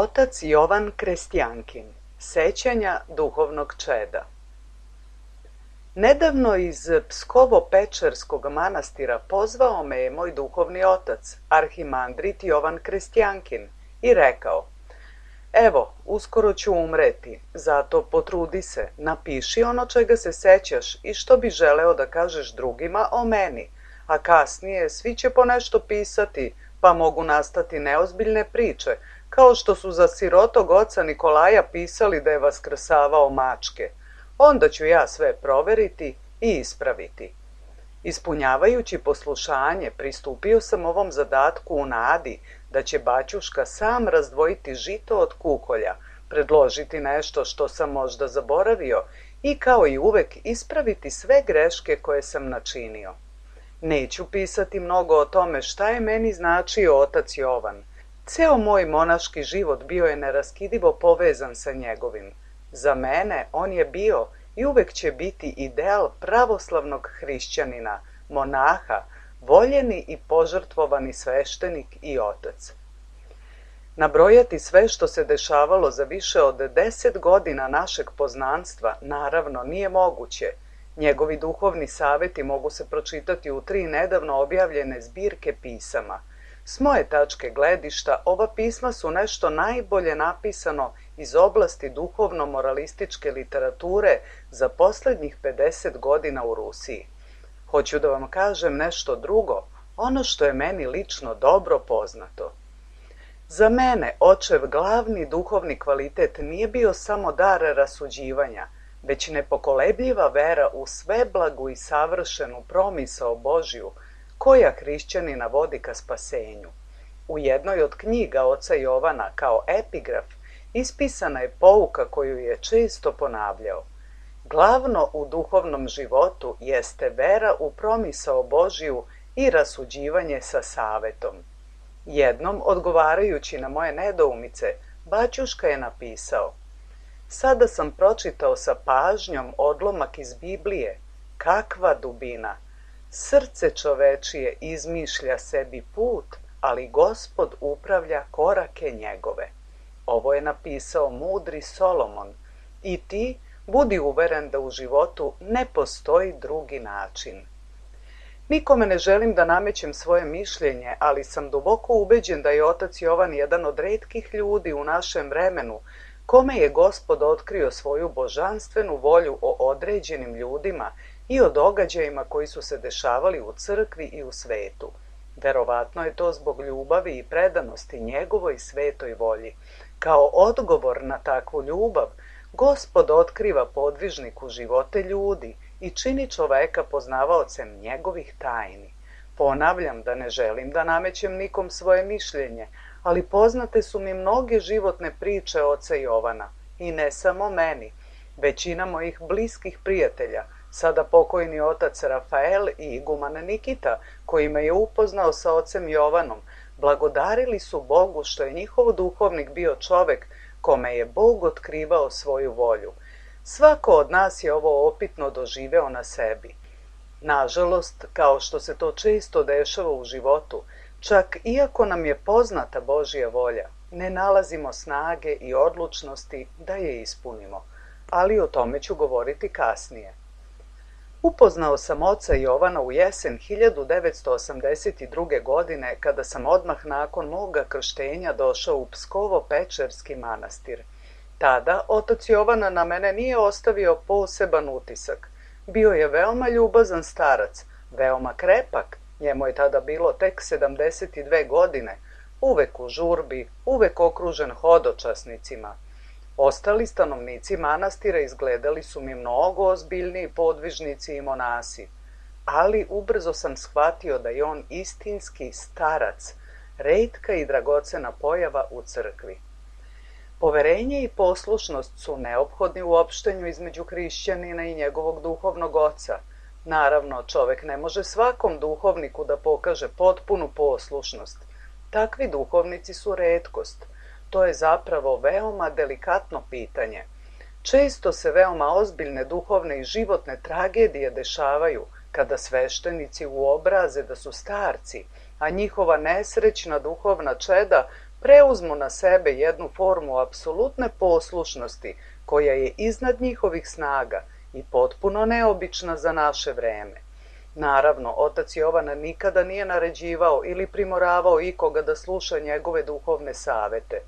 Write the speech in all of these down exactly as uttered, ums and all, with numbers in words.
Otac Jovan Krestjankin, sećanja duhovnog čeda. Nedavno iz Pskovo-Pečerskog manastira pozvao me je moj duhovni otac, arhimandrit Jovan Krestjankin, i rekao: evo, uskoro ću umreti, zato potrudi se, napiši ono čega se sećaš i što bi želeo da kažeš drugima o meni, a kasnije svi će po nešto pisati, pa mogu nastati neozbiljne priče, kao što su za sirotog oca Nikolaja pisali da je vaskrsavao mačke. Onda ću ja sve proveriti i ispraviti. Ispunjavajući poslušanje, pristupio sam ovom zadatku u nadi da će baćuška sam razdvojiti žito od kukolja, predložiti nešto što sam možda zaboravio i kao i uvek ispraviti sve greške koje sam načinio. Neću pisati mnogo o tome šta je meni značio otac Jovan. Ceo moj monaški život bio je neraskidivo povezan sa njegovim. Za mene on je bio i uvek će biti ideal pravoslavnog hrišćanina, monaha, voljeni i požrtvovani sveštenik i otac. Nabrojati sve što se dešavalo za više od deset godina našeg poznanstva naravno nije moguće. Njegovi duhovni saveti mogu se pročitati u tri nedavno objavljene zbirke pisama. S moje tačke gledišta, ova pisma su nešto najbolje napisano iz oblasti duhovno-moralističke literature za poslednjih pedeset godina u Rusiji. Hoću da vam kažem nešto drugo, ono što je meni lično dobro poznato. Za mene očev glavni duhovni kvalitet nije bio samo dar rasuđivanja, već nepokolebljiva vera u sveblagu i savršenu promisao Božju, koja hrišćanina vodi ka spasenju. U jednoj od knjiga oca Jovana kao epigraf ispisana je pouka koju je često ponavljao. Glavno u duhovnom životu jeste vera u promisao Božju i rasuđivanje sa savetom. Jednom, odgovarajući na moje nedoumice, baćuška je napisao: sada sam pročitao sa pažnjom odlomak iz Biblije. Kakva dubina! Srce čovečije izmišlja sebi put, ali Gospod upravlja korake njegove. Ovo je napisao mudri Solomon. I ti budi uveren da u životu ne postoji drugi način. Nikome ne želim da namećem svoje mišljenje, ali sam duboko ubeđen da je otac Jovan jedan od retkih ljudi u našem vremenu kome je Gospod otkrio svoju božanstvenu volju o određenim ljudima i o događajima koji su se dešavali u crkvi i u svetu. Verovatno je to zbog ljubavi i predanosti njegovoj svetoj volji. Kao odgovor na takvu ljubav, Gospod otkriva podvižniku živote ljudi i čini čoveka poznavaocem njegovih tajni. Ponavljam da ne želim da namećem nikom svoje mišljenje, ali poznate su mi mnoge životne priče oca Jovana, i ne samo meni. Većina mojih bliskih prijatelja, sada pokojni otac Rafael i iguman Nikita, koji me je upoznao sa ocem Jovanom, blagodarili su Bogu što je njihov duhovnik bio čovek kome je Bog otkrivao svoju volju. Svako od nas je ovo opitno doživeo na sebi. Nažalost, kao što se to često dešava u životu, čak iako nam je poznata Božja volja, ne nalazimo snage i odlučnosti da je ispunimo, ali o tome ću govoriti kasnije. Upoznao sam oca Jovana u jesen hiljadu devetsto osamdeset druge. godine, kada sam odmah nakon moga krštenja došao u Pskovo-Pečerski manastir. Tada otac Jovana na mene nije ostavio poseban utisak. Bio je veoma ljubazan starac, veoma krepak, njemu je tada bilo tek sedamdeset dve godine, uvek u žurbi, uvek okružen hodočasnicima. Ostali stanovnici manastira izgledali su mi mnogo ozbiljniji podvižnici i monasi, ali ubrzo sam shvatio da je on istinski starac, retka i dragocena pojava u crkvi. Poverenje i poslušnost su neophodni u opštenju između hrišćanina i njegovog duhovnog oca. Naravno, čovek ne može svakom duhovniku da pokaže potpunu poslušnost. Takvi duhovnici su retkost. To je zapravo veoma delikatno pitanje. Često se veoma ozbiljne duhovne i životne tragedije dešavaju kada sveštenici uobraze da su starci, a njihova nesrećna duhovna čeda preuzmu na sebe jednu formu apsolutne poslušnosti koja je iznad njihovih snaga i potpuno neobična za naše vreme. Naravno, otac Jovan nikada nije naređivao ili primoravao ikoga da sluša njegove duhovne savete.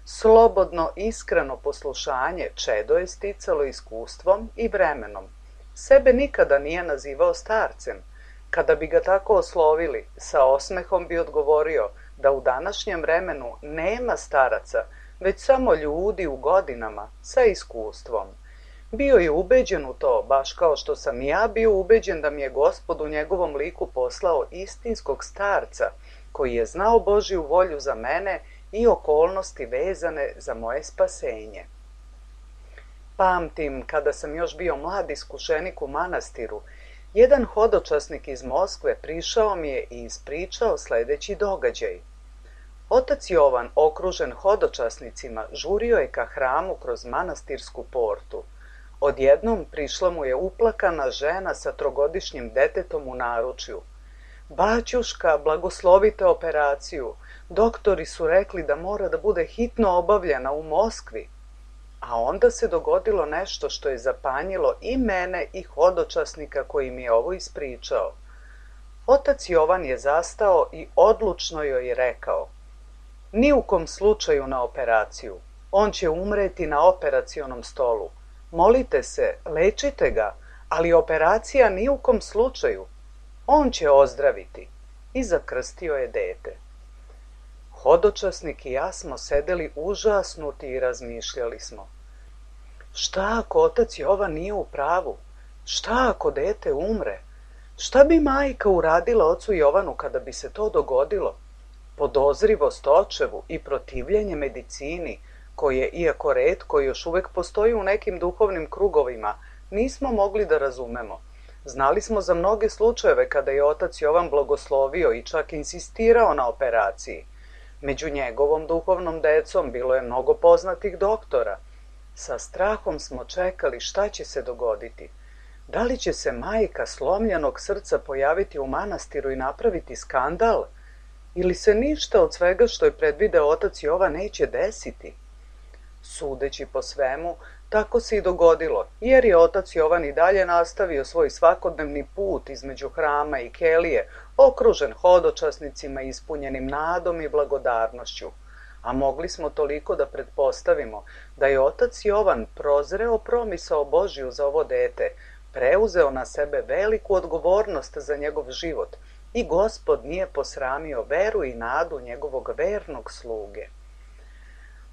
Slobodno, iskreno poslušanje čedo je sticalo iskustvom i vremenom. Sebe nikada nije nazivao starcem. Kada bi ga tako oslovili, sa osmehom bi odgovorio da u današnjem vremenu nema staraca, već samo ljudi u godinama sa iskustvom. Bio je ubeđen u to, baš kao što sam i ja bio ubeđen da mi je Gospod u njegovom liku poslao istinskog starca, koji je znao Božju volju za mene i okolnosti vezane za moje spasenje. Pamtim, kada sam još bio mlad iskušenik u manastiru, jedan hodočasnik iz Moskve prišao mi je i ispričao sledeći događaj. Otac Jovan, okružen hodočasnicima, žurio je ka hramu kroz manastirsku portu. Odjednom prišla mu je uplakana žena sa trogodišnjim detetom u naručju. Baćuška, blagoslovite operaciju. Doktori su rekli da mora da bude hitno obavljena u Moskvi. A onda se dogodilo nešto što je zapanjilo i mene i hodočasnika koji mi je ovo ispričao. Otac Jovan je zastao i odlučno joj rekao: ni u kom slučaju na operaciju. On će umreti na operacionom stolu. Molite se, lečite ga, ali operacija ni u kom slučaju. On će ozdraviti. I zakrstio je dete. Hodočasnik i ja smo sedeli užasnuti i razmišljali smo. Šta ako otac Jovan nije u pravu? Šta ako dete umre? Šta bi majka uradila ocu Jovanu kada bi se to dogodilo? Podozrivost očevu i protivljenje medicini, koje, iako retko još uvek postoji u nekim duhovnim krugovima, nismo mogli da razumemo. Znali smo za mnoge slučajeve kada je otac Jovan blagoslovio i čak insistirao na operaciji. Među njegovom duhovnom decom bilo je mnogo poznatih doktora. Sa strahom smo čekali šta će se dogoditi. Da li će se majka slomljenog srca pojaviti u manastiru i napraviti skandal? Ili se ništa od svega što je predvideo otac Jovan neće desiti? Sudeći po svemu, tako se i dogodilo, jer je otac Jovan i dalje nastavio svoj svakodnevni put između hrama i kelije, okružen hodočasnicima ispunjenim nadom i blagodarnošću. A mogli smo toliko da pretpostavimo da je otac Jovan prozreo promisao Božju za ovo dete, preuzeo na sebe veliku odgovornost za njegov život i Gospod nije posramio veru i nadu njegovog vernog sluge.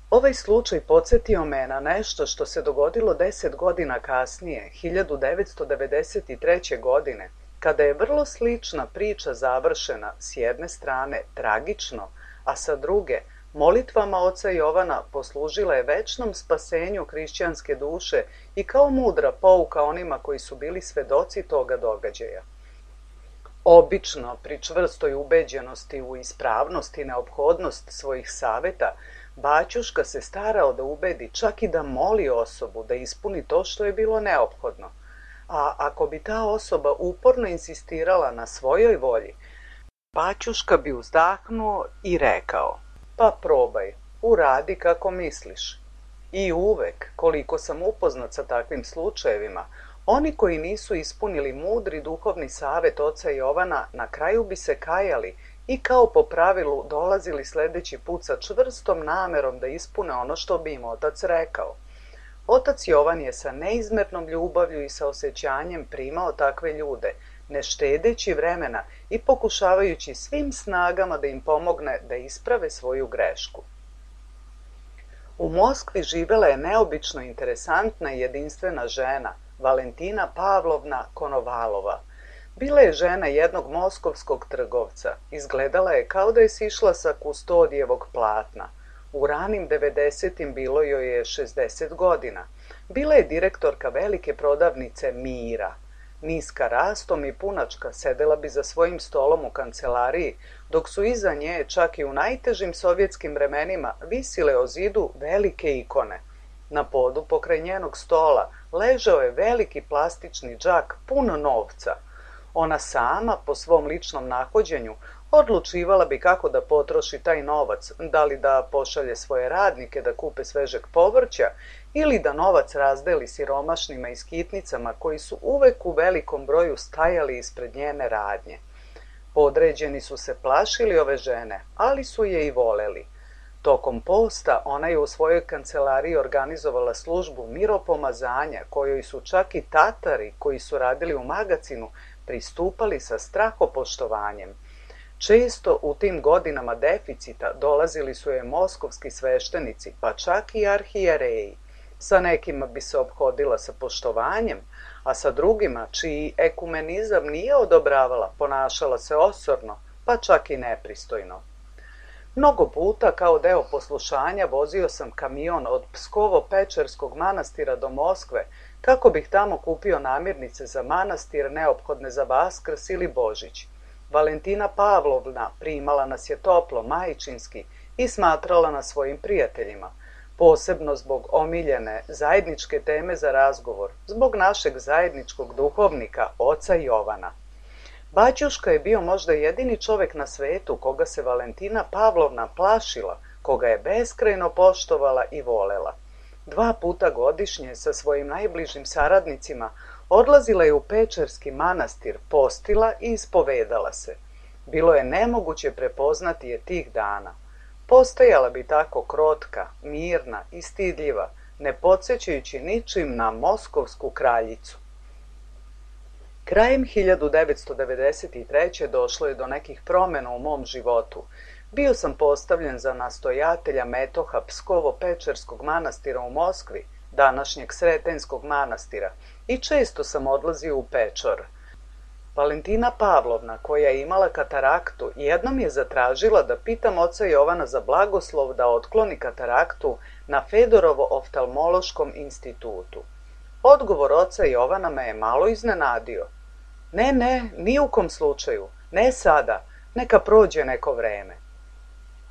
Ovaj slučaj podsjetio me na nešto što se dogodilo deset godina kasnije, hiljadu devetsto devedeset treće. godine, kada je vrlo slična priča završena s jedne strane tragično, a sa druge molitvama oca Jovana poslužila je večnom spasenju hrišćanske duše i kao mudra pouka onima koji su bili svedoci toga događaja. Obično, pri čvrstoj ubeđenosti u ispravnost i neophodnost svojih saveta, baćuška se starao da ubedi, čak i da moli osobu da ispuni to što je bilo neophodno. A ako bi ta osoba uporno insistirala na svojoj volji, baćuška bi uzdahnuo i rekao: pa probaj, uradi kako misliš. I uvek, koliko sam upoznat sa takvim slučajevima, oni koji nisu ispunili mudri duhovni savet oca Jovana na kraju bi se kajali i kao po pravilu dolazili sledeći put sa čvrstom namerom da ispune ono što bi im otac rekao. Otac Jovan je sa neizmernom ljubavlju i sa osjećanjem primao takve ljude, ne štedeći vremena i pokušavajući svim snagama da im pomogne da isprave svoju grešku. U Moskvi živela je neobično interesantna i jedinstvena žena, Valentina Pavlovna Konovalova. Bila je žena jednog moskovskog trgovca. Izgledala je kao da je sišla sa kustodijevog platna. U ranim devedesetim bilo joj je šezdeset godina. Bila je direktorka velike prodavnice Mira. Niska rastom i punačka sedela bi za svojim stolom u kancelariji, dok su iza nje, čak i u najtežim sovjetskim vremenima, visile o zidu velike ikone. Na podu pokraj njenog stola ležao je veliki plastični džak pun novca. Ona sama, po svom ličnom nahođenju, Odlučivala bi kako da potroši taj novac, da li da pošalje svoje radnike da kupe svežeg povrća ili da novac razdeli siromašnima i skitnicama koji su uvek u velikom broju stajali ispred njene radnje. Podređeni su se plašili ove žene, ali su je i voleli. Tokom posta ona je u svojoj kancelariji organizovala službu miropomazanja, kojoj su čak i Tatari koji su radili u magacinu pristupali sa strahopoštovanjem. Često u tim godinama deficita dolazili su je moskovski sveštenici, pa čak i arhijereji. Sa nekima bi se ophodila sa poštovanjem, a sa drugima, čiji ekumenizam nije odobravala, ponašala se osorno, pa čak i nepristojno. Mnogo puta kao deo poslušanja vozio sam kamion od Pskovo-Pečerskog manastira do Moskve, kako bih tamo kupio namirnice za manastir neophodne za Vaskrs ili Božić. Valentina Pavlovna primala nas je toplo, majčinski i smatrala nas svojim prijateljima, posebno zbog omiljene zajedničke teme za razgovor, zbog našeg zajedničkog duhovnika, oca Jovana. Baćuška je bio možda jedini čovek na svetu koga se Valentina Pavlovna plašila, koga je beskrajno poštovala i volela. Dva puta godišnje sa svojim najbližim saradnicima odlazila je u Pečerski manastir, postila i ispovedala se. Bilo je nemoguće prepoznati je tih dana. Postajala bi tako krotka, mirna i stidljiva, ne podsjećajući ničim na moskovsku kraljicu. Krajem hiljadu devetsto devedeset treće. došlo je do nekih promjena u mom životu. Bio sam postavljen za nastojatelja metoha Pskovo-Pečerskog manastira u Moskvi, današnjeg Sretenskog manastira, i često sam odlazio u Pečor. Valentina Pavlovna, koja je imala kataraktu, jednom je zatražila da pitam oca Jovana za blagoslov da otkloni kataraktu na Fedorovo-oftalmološkom institutu. Odgovor oca Jovana me je malo iznenadio. Ne, ne, ni u kom slučaju, ne sada, neka prođe neko vreme.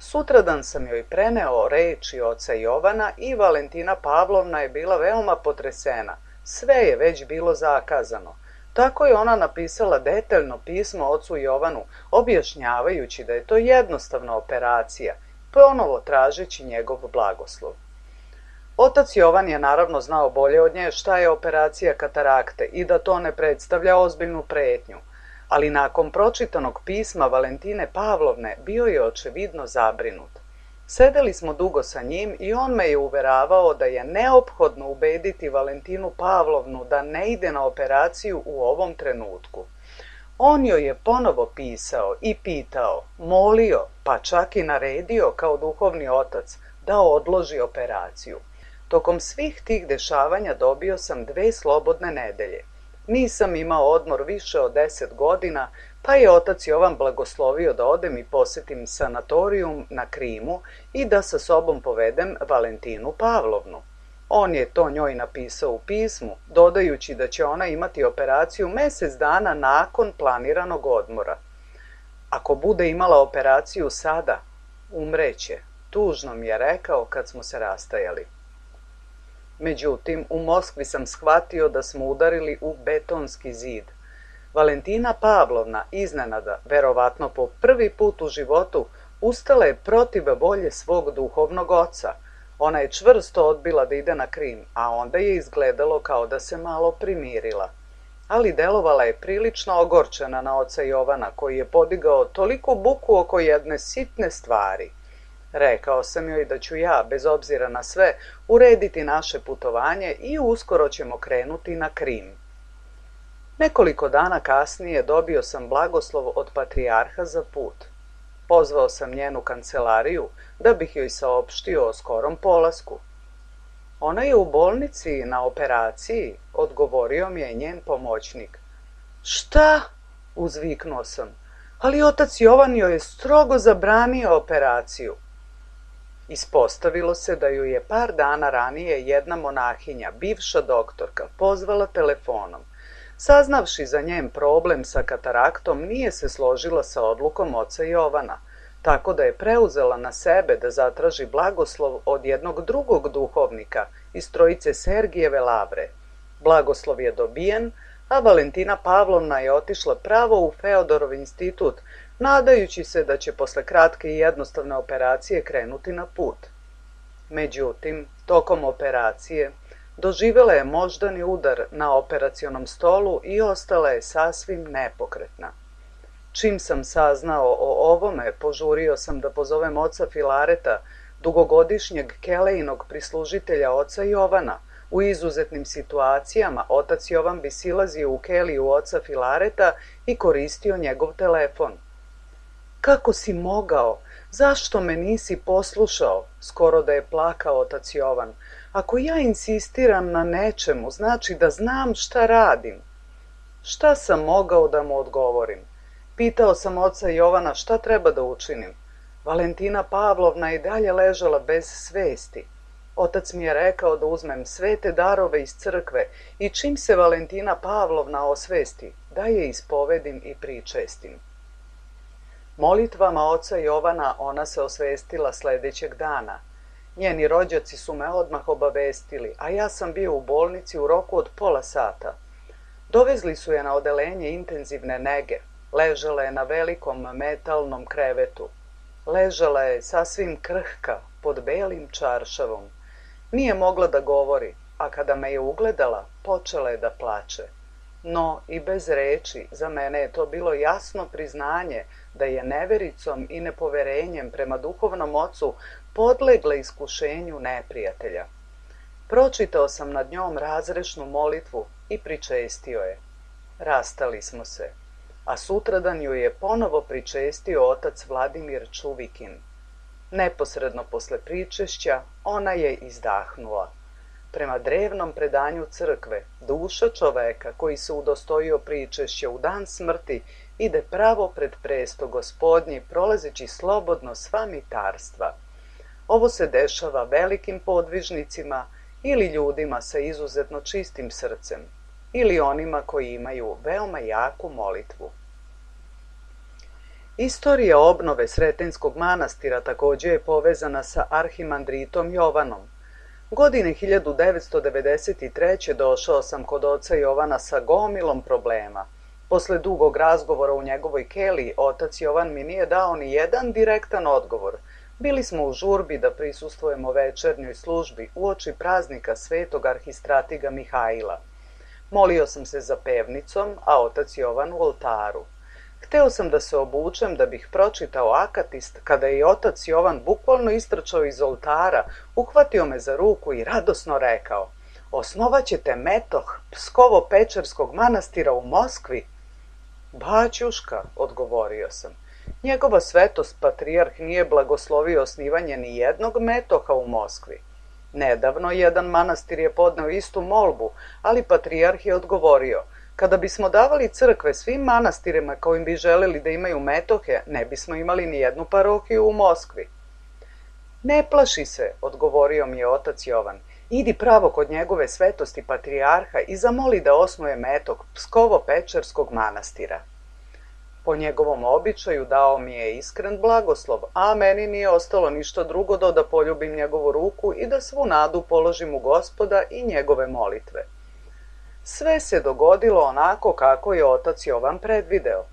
Sutradan sam joj preneo reči oca Jovana i Valentina Pavlovna je bila veoma potresena. Sve je već bilo zakazano. Tako je ona napisala detaljno pismo ocu Jovanu, objašnjavajući da je to jednostavna operacija, ponovo tražeći njegov blagoslov. Otac Jovan je naravno znao bolje od nje šta je operacija katarakte i da to ne predstavlja ozbiljnu pretnju, ali nakon pročitanog pisma Valentine Pavlovne bio je očevidno zabrinut. Sedeli smo dugo sa njim i on me je uveravao da je neophodno ubediti Valentinu Pavlovnu da ne ide na operaciju u ovom trenutku. On joj je ponovo pisao i pitao, molio, pa čak i naredio kao duhovni otac da odloži operaciju. Tokom svih tih dešavanja dobio sam dve slobodne nedelje. Nisam imao odmor više od deset godina, pa je otac Jovan blagoslovio da odem i posetim sanatorijum na Krimu i da sa sobom povedem Valentinu Pavlovnu. On je to njoj napisao u pismu, dodajući da će ona imati operaciju mesec dana nakon planiranog odmora. Ako bude imala operaciju sada, umreće, tužno mi je rekao kad smo se rastajali. Međutim, u Moskvi sam shvatio da smo udarili u betonski zid. Valentina Pavlovna iznenada, verovatno po prvi put u životu, ustala je protiv volje svog duhovnog oca. Ona je čvrsto odbila da ide na Krim, a onda je izgledalo kao da se malo primirila. Ali delovala je prilično ogorčena na oca Jovana, koji je podigao toliku buku oko jedne sitne stvari. Rekao sam joj da ću ja, bez obzira na sve, urediti naše putovanje i uskoro ćemo krenuti na Krim. Nekoliko dana kasnije dobio sam blagoslov od patrijarha za put. Pozvao sam njenu kancelariju da bih joj saopštio o skorom polasku. Ona je u bolnici na operaciji, odgovorio mi je njen pomoćnik. Šta? Uzviknuo sam. Ali otac Jovan joj je strogo zabranio operaciju. Ispostavilo se da ju je par dana ranije jedna monahinja, bivša doktorka, pozvala telefonom. Saznavši za njen problem sa kataraktom, nije se složila sa odlukom oca Jovana, tako da je preuzela na sebe da zatraži blagoslov od jednog drugog duhovnika iz trojice Sergijeve lavre. Blagoslov je dobijen, a Valentina Pavlovna je otišla pravo u Feodorov institut, nadajući se da će posle kratke i jednostavne operacije krenuti na put. Međutim, tokom operacije doživjela je moždani udar na operacionom stolu i ostala je sasvim nepokretna. Čim sam saznao o ovome, požurio sam da pozovem oca Filareta, dugogodišnjeg Kelejnog prislužitelja oca Jovana. U izuzetnim situacijama otac Jovan bi silazio u keliju oca Filareta i koristio njegov telefon. Kako si mogao? Zašto me nisi poslušao? Skoro da je plakao otac Jovan. Ako ja insistiram na nečemu, znači da znam šta radim. Šta sam mogao da mu odgovorim? Pitao sam oca Jovana šta treba da učinim. Valentina Pavlovna i dalje ležala bez svesti. Otac mi je rekao da uzmem svete darove iz crkve i čim se Valentina Pavlovna osvesti, da je ispovedim i pričestim. Molitvama oca Jovana ona se osvestila sledećeg dana. Njeni rođaci su me odmah obavestili, a ja sam bio u bolnici u roku od pola sata. Dovezli su je na odelenje intenzivne nege. Ležala je na velikom metalnom krevetu. Ležala je sasvim krhka, pod belim čaršavom. Nije mogla da govori, a kada me je ugledala, počela je da plače. No, i bez reči, za mene je to bilo jasno priznanje da je nevericom i nepoverenjem prema duhovnom ocu podlegla iskušenju neprijatelja. Pročitao sam nad njom razrešnu molitvu i pričestio je. Rastali smo se, a sutradan ju je ponovo pričestio otac Vladimir Čuvikin. Neposredno posle pričešća ona je izdahnula. Prema drevnom predanju crkve, duša čoveka koji se udostojio pričešća u dan smrti ide pravo pred presto Gospodnji, prolazeći slobodno sva mitarstva. Ovo se dešava velikim podvižnicima ili ljudima sa izuzetno čistim srcem, ili onima koji imaju veoma jaku molitvu. Istorija obnove Sretenskog manastira također je povezana sa arhimandritom Jovanom. Godine hiljadu devetsto devedeset treće. došao sam kod oca Jovana sa gomilom problema. Posle dugog razgovora u njegovoj keliji, otac Jovan mi nije dao ni jedan direktan odgovor. Bili smo u žurbi da prisustvujemo večernjoj službi uoči praznika svetog arhistratiga Mihajla. Molio sam se za pevnicom, a otac Jovan u oltaru. Hteo sam da se obučem da bih pročitao akatist, kada je otac Jovan bukvalno istrčao iz oltara, uhvatio me za ruku i radosno rekao: "Osnovaćete metoh Pskovo-Pečerskog manastira u Moskvi?" "Baćuška," odgovorio sam, "njegova svetost patrijarh nije blagoslovio osnivanje ni jednog metoha u Moskvi. Nedavno jedan manastir je podneo istu molbu, ali patrijarh je odgovorio: kada bismo davali crkve svim manastirima kojim bi želeli da imaju metohe, ne bismo imali ni jednu parohiju u Moskvi." "Ne plaši se," odgovorio mi je otac Jovan, "idi pravo kod njegove svetosti patrijarha i zamoli da osnuje metoh Pskovo-Pečerskog manastira." Po njegovom običaju dao mi je iskren blagoslov, a meni nije ostalo ništa drugo do da poljubim njegovu ruku i da svu nadu položim u Gospoda i njegove molitve. Sve se dogodilo onako kako je otac Jovan predvideo.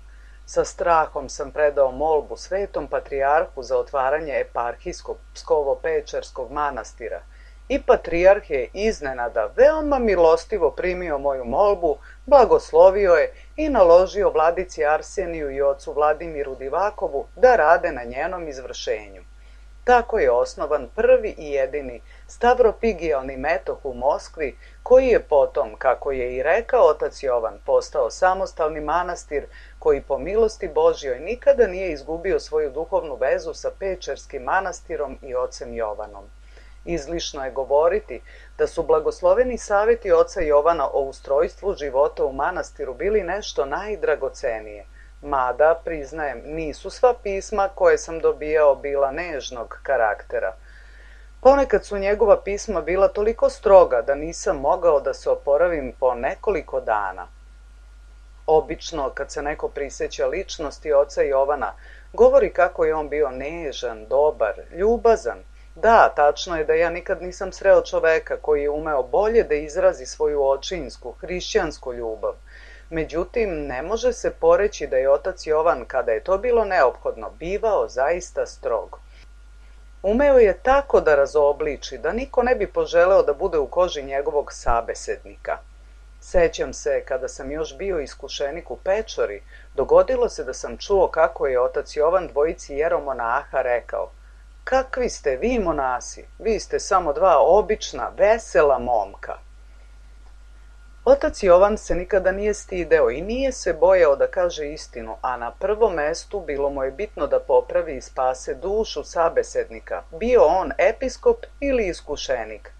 Sa strahom sam predao molbu svetom patrijarhu za otvaranje eparhijskog Pskovo-Pečerskog manastira i patrijarh je iznenada veoma milostivo primio moju molbu, blagoslovio je i naložio vladici Arseniju i ocu Vladimiru Divakovu da rade na njenom izvršenju. Tako je osnovan prvi i jedini stavropigijalni metoh u Moskvi, koji je potom, kako je i rekao otac Jovan, postao samostalni manastir koji po milosti Božjoj nikada nije izgubio svoju duhovnu vezu sa Pečerskim manastirom i ocem Jovanom. Izlišno je govoriti da su blagosloveni savjeti oca Jovana o ustrojstvu života u manastiru bili nešto najdragocenije. Mada, priznajem, nisu sva pisma koje sam dobijao bila nežnog karaktera. Ponekad su njegova pisma bila toliko stroga da nisam mogao da se oporavim po nekoliko dana. Obično, kad se neko priseća ličnosti oca Jovana, govori kako je on bio nežan, dobar, ljubazan. Da, tačno je da ja nikad nisam sreo čoveka koji je umeo bolje da izrazi svoju očinsku, hrišćansku ljubav. Međutim, ne može se poreći da je otac Jovan, kada je to bilo neophodno, bivao zaista strog. Umeo je tako da razobliči da niko ne bi poželeo da bude u koži njegovog sabesednika. Sećam se, kada sam još bio iskušenik u Pečori, dogodilo se da sam čuo kako je otac Jovan dvojici jeromonaha rekao: "Kakvi ste vi monasi, vi ste samo dva obična, vesela momka." Otac Jovan se nikada nije stideo i nije se bojao da kaže istinu, a na prvom mestu bilo mu je bitno da popravi i spase dušu sabesednika, bio on episkop ili iskušenik.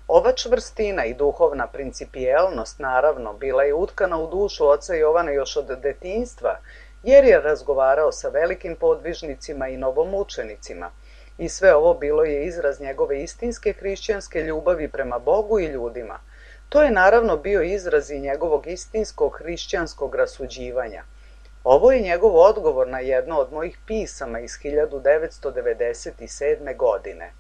Ova čvrstina i duhovna principijelnost, naravno, bila je utkana u dušu oca Jovana još od detinjstva, jer je razgovarao sa velikim podvižnicima i novomučenicima. I sve ovo bilo je izraz njegove istinske hrišćanske ljubavi prema Bogu i ljudima. To je naravno bio izraz i njegovog istinskog hrišćanskog rasuđivanja. Ovo je njegov odgovor na jedno od mojih pisama iz hiljadu devetsto devedeset sedme. godine.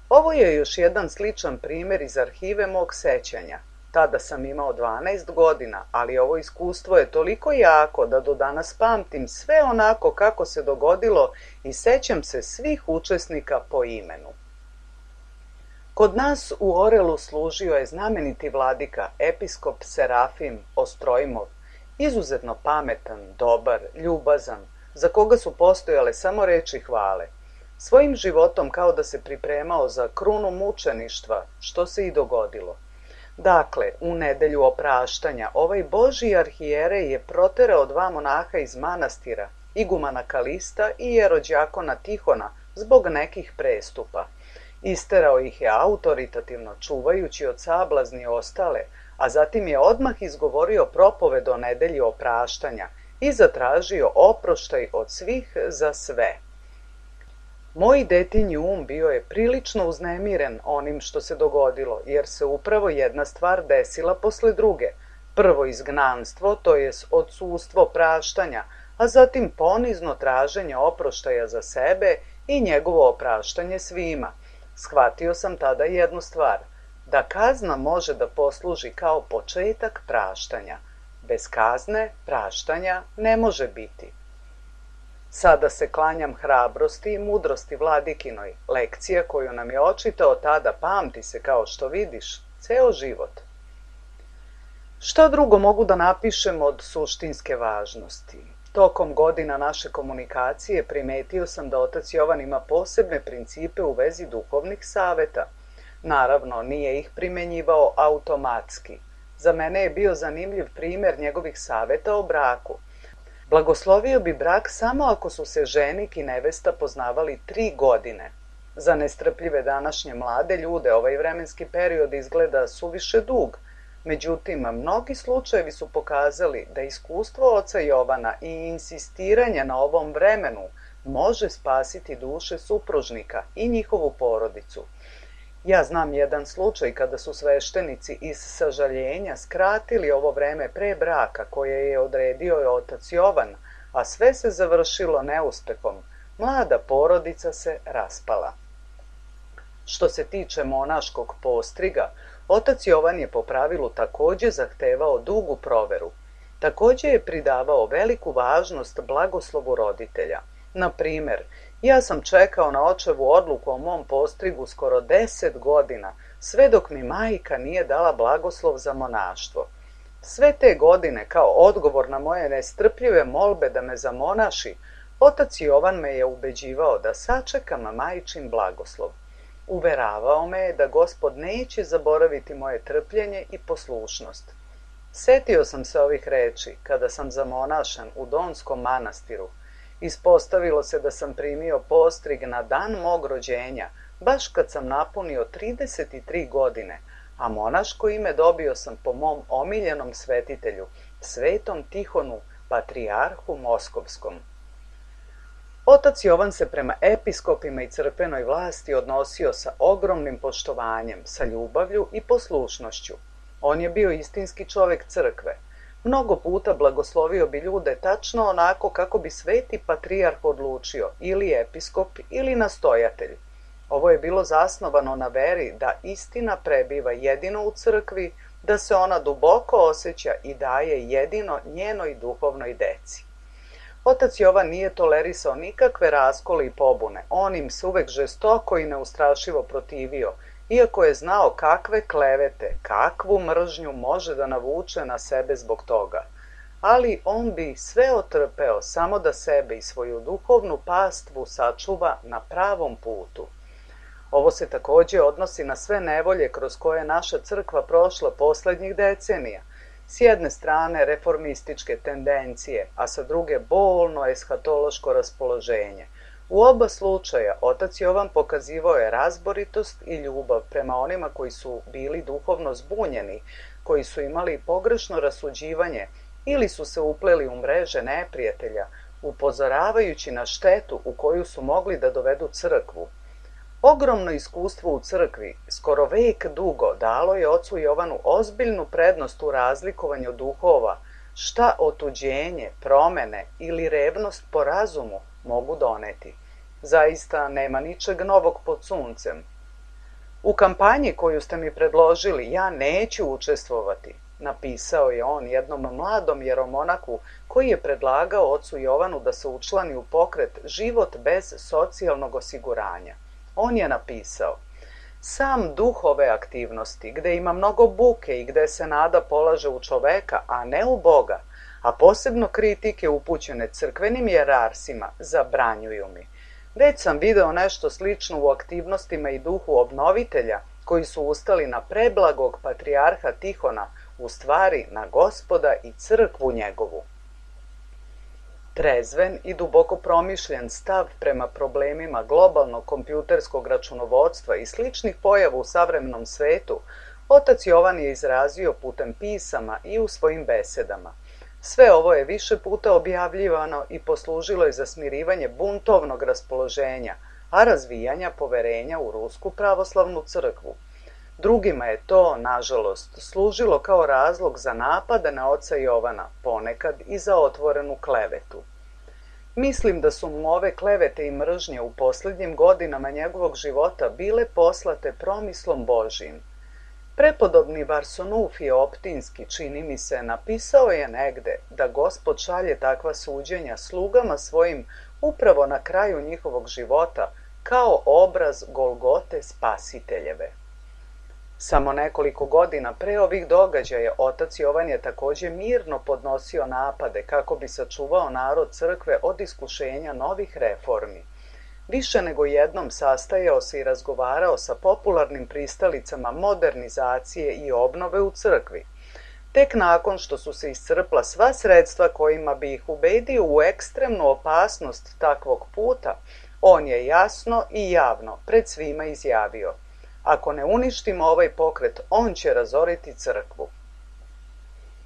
Ovo je još jedan sličan primjer iz arhive mog sećanja. Tada sam imao dvanaest godina, ali ovo iskustvo je toliko jako da do danas pamtim sve onako kako se dogodilo i sećam se svih učesnika po imenu. Kod nas u Orelu služio je znameniti vladika, episkop Serafim Ostrojmov, izuzetno pametan, dobar, ljubazan, za koga su postojale samo reči hvale. Svojim životom kao da se pripremao za krunu mučeništva, što se i dogodilo. Dakle, u nedelju opraštanja, ovaj Božji arhijerej je proterao dva monaha iz manastira, igumana Kalista i jerođakona Tihona, zbog nekih prestupa. Isterao ih je autoritativno, čuvajući od sablazni ostale, a zatim je odmah izgovorio propoved o nedelji opraštanja i zatražio oproštaj od svih za sve. Moj detinji um bio je prilično uznemiren onim što se dogodilo, jer se upravo jedna stvar desila posle druge. Prvo izgnanstvo, to jest odsustvo praštanja, a zatim ponizno traženje oproštaja za sebe i njegovo opraštanje svima. Shvatio sam tada jednu stvar, da kazna može da posluži kao početak praštanja. Bez kazne praštanja ne može biti. Sada se klanjam hrabrosti i mudrosti vladikinoj, lekcija koju nam je očitao tada pamti se, kao što vidiš, ceo život. Šta drugo mogu da napišem od suštinske važnosti? Tokom godina naše komunikacije primetio sam da otac Jovan ima posebne principe u vezi duhovnih saveta. Naravno, nije ih primenjivao automatski. Za mene je bio zanimljiv primjer njegovih saveta o braku. Blagoslovio bi brak samo ako su se ženik i nevesta poznavali tri godine. Za nestrpljive današnje mlade ljude ovaj vremenski period izgleda suviše dug. Međutim, mnogi slučajevi su pokazali da iskustvo oca Jovana i insistiranje na ovom vremenu može spasiti duše supružnika i njihovu porodicu. Ja znam jedan slučaj kada su sveštenici iz sažaljenja skratili ovo vreme pre braka koje je odredio otac Jovan, a sve se završilo neuspehom. Mlada porodica se raspala. Što se tiče monaškog postriga, otac Jovan je po pravilu takođe zahtevao dugu proveru. Takođe je pridavao veliku važnost blagoslovu roditelja. Na primer, ja sam čekao na očevu odluku o mom postrigu skoro deset godina, sve dok mi majka nije dala blagoslov za monaštvo. Sve te godine, kao odgovor na moje nestrpljive molbe da me zamonaši, otac Jovan me je ubeđivao da sačekam majčin blagoslov. Uveravao me je da Gospod neće zaboraviti moje trpljenje i poslušnost. Setio sam se ovih reči kada sam zamonašan u Donskom manastiru. Ispostavilo se da sam primio postrig na dan mog rođenja, baš kad sam napunio trideset tri godine, a monaško ime dobio sam po mom omiljenom svetitelju, svetom Tihonu, patrijarhu Moskovskom. Otac Jovan se prema episkopima i crkvenoj vlasti odnosio sa ogromnim poštovanjem, sa ljubavlju i poslušnošću. On je bio istinski čovek crkve. Mnogo puta blagoslovio bi ljude tačno onako kako bi sveti patrijarh odlučio, ili episkop ili nastojatelj. Ovo je bilo zasnovano na veri da istina prebiva jedino u crkvi, da se ona duboko osjeća i daje jedino njenoj duhovnoj deci. Otac Jovan nije tolerisao nikakve raskole i pobune, on im se uvek žestoko i neustrašivo protivio, iako je znao kakve klevete, kakvu mržnju može da navuče na sebe zbog toga. Ali on bi sve otrpeo samo da sebe i svoju duhovnu pastvu sačuva na pravom putu. Ovo se takođe odnosi na sve nevolje kroz koje je naša crkva prošla poslednjih decenija. S jedne strane reformističke tendencije, a sa druge bolno eshatološko raspoloženje. U oba slučaja otac Jovan pokazivao je razboritost i ljubav prema onima koji su bili duhovno zbunjeni, koji su imali pogrešno rasuđivanje ili su se upleli u mreže neprijatelja, upozoravajući na štetu u koju su mogli da dovedu crkvu. Ogromno iskustvo u crkvi, skoro vek dugo, dalo je ocu Jovanu ozbiljnu prednost u razlikovanju duhova, šta otuđenje, promene ili revnost po razumu mogu doneti. Zaista nema ničeg novog pod suncem. U kampanji koju ste mi predložili ja neću učestvovati, napisao je on jednom mladom jeromonaku koji je predlagao ocu Jovanu da se učlani u pokret Život bez socijalnog osiguranja. On je napisao: sam duh ove aktivnosti, gde ima mnogo buke i gde se nada polaže u čoveka, a ne u Boga, a posebno kritike upućene crkvenim jerarsima, zabranjuju mi. Već sam video nešto slično u aktivnostima i duhu obnovitelja, koji su ustali na preblagog patrijarha Tihona, u stvari na Gospoda i crkvu njegovu. Trezven i duboko promišljen stav prema problemima globalnog kompjuterskog računovodstva i sličnih pojava u savremenom svetu, otac Jovan je izrazio putem pisama i u svojim besedama. Sve ovo je više puta objavljivano i poslužilo je za smirivanje buntovnog raspoloženja, a razvijanja poverenja u Rusku pravoslavnu crkvu. Drugima je to, nažalost, služilo kao razlog za napade na oca Jovana, ponekad i za otvorenu klevetu. Mislim da su mu ove klevete i mržnje u posljednjim godinama njegovog života bile poslate promislom Božijim. Prepodobni Varsanufije Optinski, čini mi se, napisao je negde da Gospod šalje takva suđenja slugama svojim upravo na kraju njihovog života kao obraz Golgote Spasiteljeve. Samo nekoliko godina pre ovih događaja otac Jovan je takođe mirno podnosio napade kako bi sačuvao narod crkve od iskušenja novih reformi. Više nego jednom sastajao se i razgovarao sa popularnim pristalicama modernizacije i obnove u crkvi. Tek nakon što su se iscrpla sva sredstva kojima bi ih ubedio u ekstremnu opasnost takvog puta, on je jasno i javno pred svima izjavio: ako ne uništimo ovaj pokret, on će razoriti crkvu.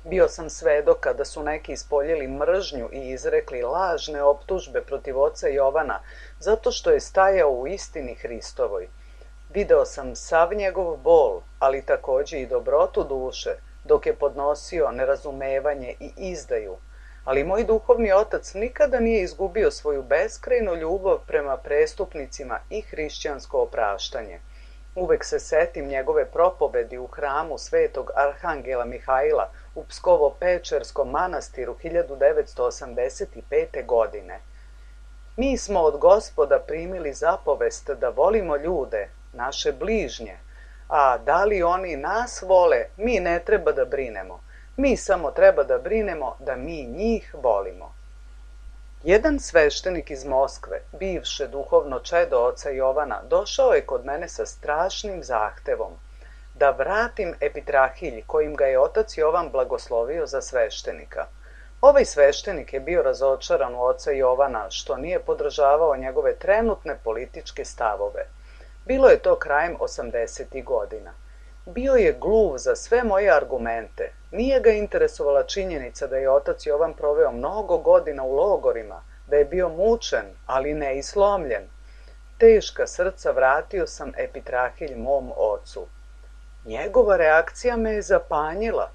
Bio sam svedok kada su neki ispoljili mržnju i izrekli lažne optužbe protiv oca Jovana zato što je stajao u istini Hristovoj. Video sam sav njegov bol, ali takođe i dobrotu duše, dok je podnosio nerazumevanje i izdaju. Ali moj duhovni otac nikada nije izgubio svoju beskrajnu ljubav prema prestupnicima i hrišćansko opraštanje. Uvek se setim njegove propovedi u hramu svetog Arhangela Mihajla u Pskovo-Pečerskom manastiru hiljadu devetsto osamdeset pete. godine. Mi smo od Gospoda primili zapovest da volimo ljude, naše bližnje, a da li oni nas vole, mi ne treba da brinemo. Mi samo treba da brinemo da mi njih volimo. Jedan sveštenik iz Moskve, bivše duhovno čedo oca Jovana, došao je kod mene sa strašnim zahtevom da vratim epitrahilj kojim ga je otac Jovan blagoslovio za sveštenika. Ovaj sveštenik je bio razočaran u oca Jovana što nije podržavao njegove trenutne političke stavove. Bilo je to krajem osamdesetih godina. Bio je gluv za sve moje argumente. Nije ga interesovala činjenica da je otac Jovan proveo mnogo godina u logorima, da je bio mučen, ali ne i slomljen. Teška srca vratio sam epitrahilj mom ocu. Njegova reakcija me je zapanjila.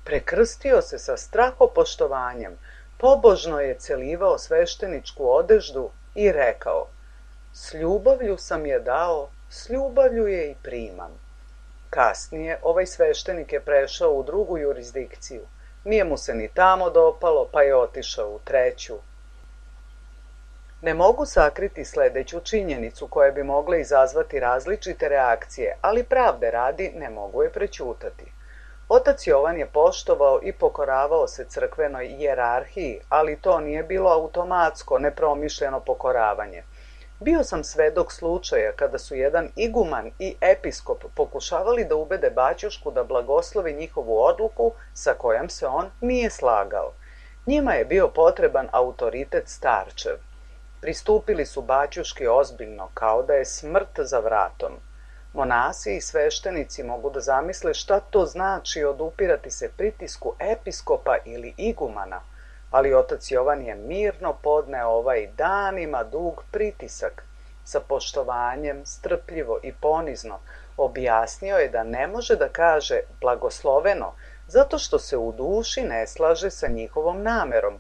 Prekrstio se sa strahopoštovanjem, pobožno je celivao svešteničku odeždu i rekao: s ljubavlju sam je dao, s ljubavlju je i primam. Kasnije ovaj sveštenik je prešao u drugu jurisdikciju. Nije mu se ni tamo dopalo, pa je otišao u treću. Ne mogu sakriti sledeću činjenicu koja bi mogla izazvati različite reakcije, ali pravde radi ne mogu je prećutati. Otac Jovan je poštovao i pokoravao se crkvenoj hijerarhiji, ali to nije bilo automatsko, nepromišljeno pokoravanje. Bio sam svedok slučaja kada su jedan iguman i episkop pokušavali da ubede baćušku da blagoslovi njihovu odluku sa kojom se on nije slagao. Njima je bio potreban autoritet starčev. Pristupili su baćuški ozbiljno, kao da je smrt za vratom. Monasi i sveštenici mogu da zamisle šta to znači odupirati se pritisku episkopa ili igumana, ali otac Jovan je mirno podneo ovaj danima dug pritisak. Sa poštovanjem, strpljivo i ponizno objasnio je da ne može da kaže blagosloveno, zato što se u duši ne slaže sa njihovom namerom,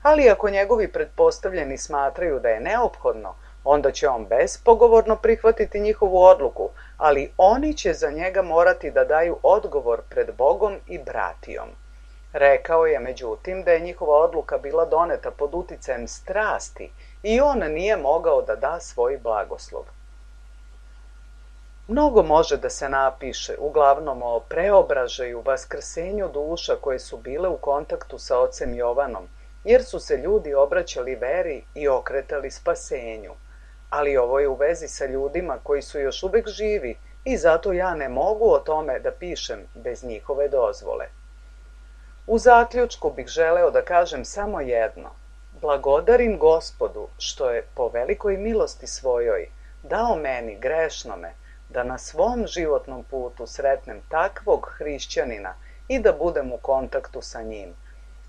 ali ako njegovi pretpostavljeni smatraju da je neophodno, onda će on bespogovorno prihvatiti njihovu odluku, ali oni će za njega morati da daju odgovor pred Bogom i bratijom. Rekao je, međutim, da je njihova odluka bila doneta pod uticajem strasti i on nije mogao da da svoj blagoslov. Mnogo može da se napiše, uglavnom o preobražaju, vaskrsenju duša koje su bile u kontaktu sa ocem Jovanom, jer su se ljudi obraćali veri i okretali spasenju. Ali ovo je u vezi sa ljudima koji su još uvek živi i zato ja ne mogu o tome da pišem bez njihove dozvole. U zaključku bih želeo da kažem samo jedno. Blagodarim Gospodu što je po velikoj milosti svojoj dao meni, grešnome, da na svom životnom putu sretnem takvog hrišćanina i da budem u kontaktu sa njim.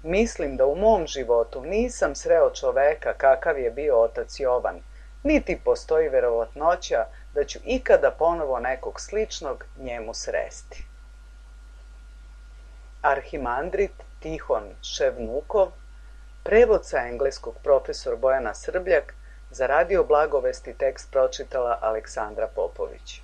Mislim da u mom životu nisam sreo čoveka kakav je bio otac Jovan, niti postoji verovatnoća da ću ikada ponovo nekog sličnog njemu sresti. Arhimandrit Tihon Ševnukov, prevod sa engleskog profesor Bojana Srbljak, za Radio Blagovesti tekst pročitala Aleksandra Popović.